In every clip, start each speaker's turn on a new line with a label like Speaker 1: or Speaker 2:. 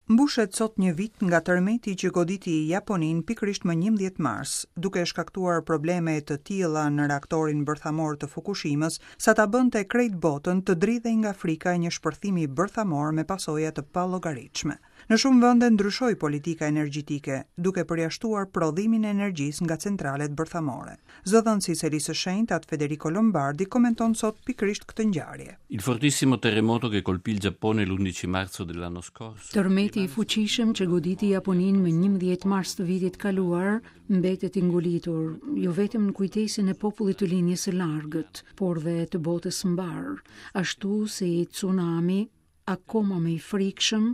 Speaker 1: Mbushet sot një vit nga tërmeti që goditi Japoninë pikërisht më 11 mars, duke shkaktuar probleme të tilla në reaktorin bërthamor të Fukushimës, sa ta bënte krejt botën të dridhej nga frika e një shpërthimi bërthamor me pasoja të pallogaritshme. Në shumë vende ndryshoi politika energjetike, duke përjashtuar prodhimin e energjisë nga centralet bërthamore. Zëdhënësi i Selisë së Shenjtë, At Federico Lombardi, komenton sot pikërisht këtë ngjarje.
Speaker 2: Il fortissimo terremoto che colpì il Giappone l'11 marzo dell'anno scorso.
Speaker 3: Tërmeti i fuqishëm që goditi Japoninë më 11 mars të vitit të kaluar mbetet i ngulitur jo vetëm në kujtesën e popullit të Lindjes së Largët, por dhe të botës mbarë, ashtu si tsunami akoma më i frikshëm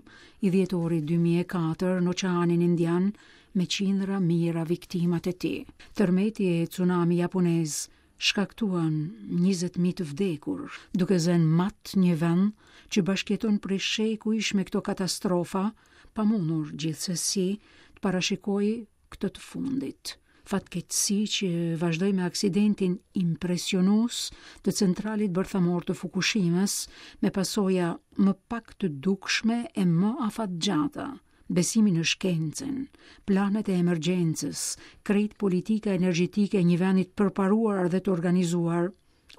Speaker 3: i dhjetorit 2004 në Oqeanin Indian me qindra mijëra viktimat e tij. Tërmeti e tsunami japonez shkaktuan 20.000 të vdekur, duke zënë mat një vend që bashkëjeton prej shekujsh me këto katastrofa, pa mundur gjithsesi të parashikojë këtë të fundit. Fatkeqësi që vazhdoi me aksidentin impresionues të centralit bërthamor të Fukushimës, me pasoja më pak të dukshme e më afatgjata. Besimi në shkencën, planet e emergjencës, krejt politika energjetike e një vendi të përparuar dhe të organizuar,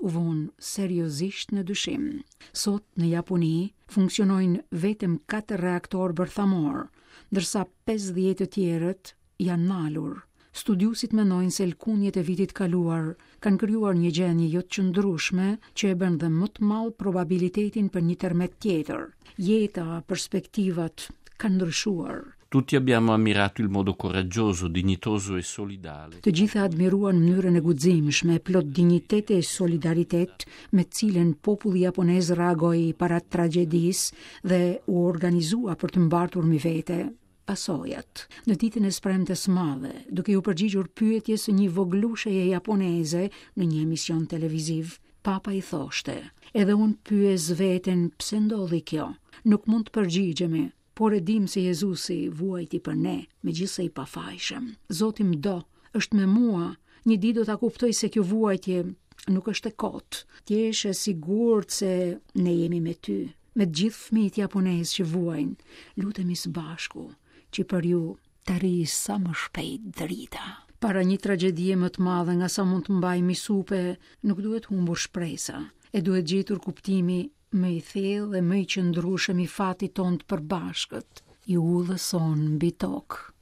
Speaker 3: u vunë seriozisht në dyshim. Sot në Japoni funksionojnë vetëm 4 reaktorë bërthamorë, ndërsa 50 të tjerët janë nalur. Studiuesit mendojnë se lëkundjet e vitit kaluar kanë krijuar një gjendje jo të qëndrueshme që e bën dhe më të madh probabilitetin për një tërmet tjetër. Jeta, perspektivat kanë ndryshuar.
Speaker 2: Tutti abbiamo ammirato il modo coraggioso, dignitoso e solidale.
Speaker 3: Të gjithë admiruan mënyrën e guximshme, plot dinjitet e solidaritet me të cilën populli japonez reagoi para tragjedisë dhe u organizua për të mbartur mbi vete pasojat. Në ditën e së premtes së madhe, duke iu përgjigjur pyetjes së një vogëlusheje japoneze në një emision televiziv, Papa i thoshte: "Edhe unë pyes veten pse ndodhi kjo. Nuk mund të përgjigjemi, por e dimë se Jezusi vuajti për ne, megjithëse i pafajshëm. Zoti më do, është me mua, një ditë do ta kuptoj se kjo vuajtje nuk është e kotë. Të jesh e sigurt se ne jemi me ty, me të gjithë fëmijët japonezë që vuajnë. Lutemi së bashku që për ju të arrijë sa më shpejt drita. Para një tragjedie më të madhe nga sa mund të mbajmë mbi supe, nuk duhet humbur shpresa, e duhet gjetur kuptimi më i thellë dhe më i qëndrueshëm i fatit tonë të përbashkët, i udhës sonë mbi tokë.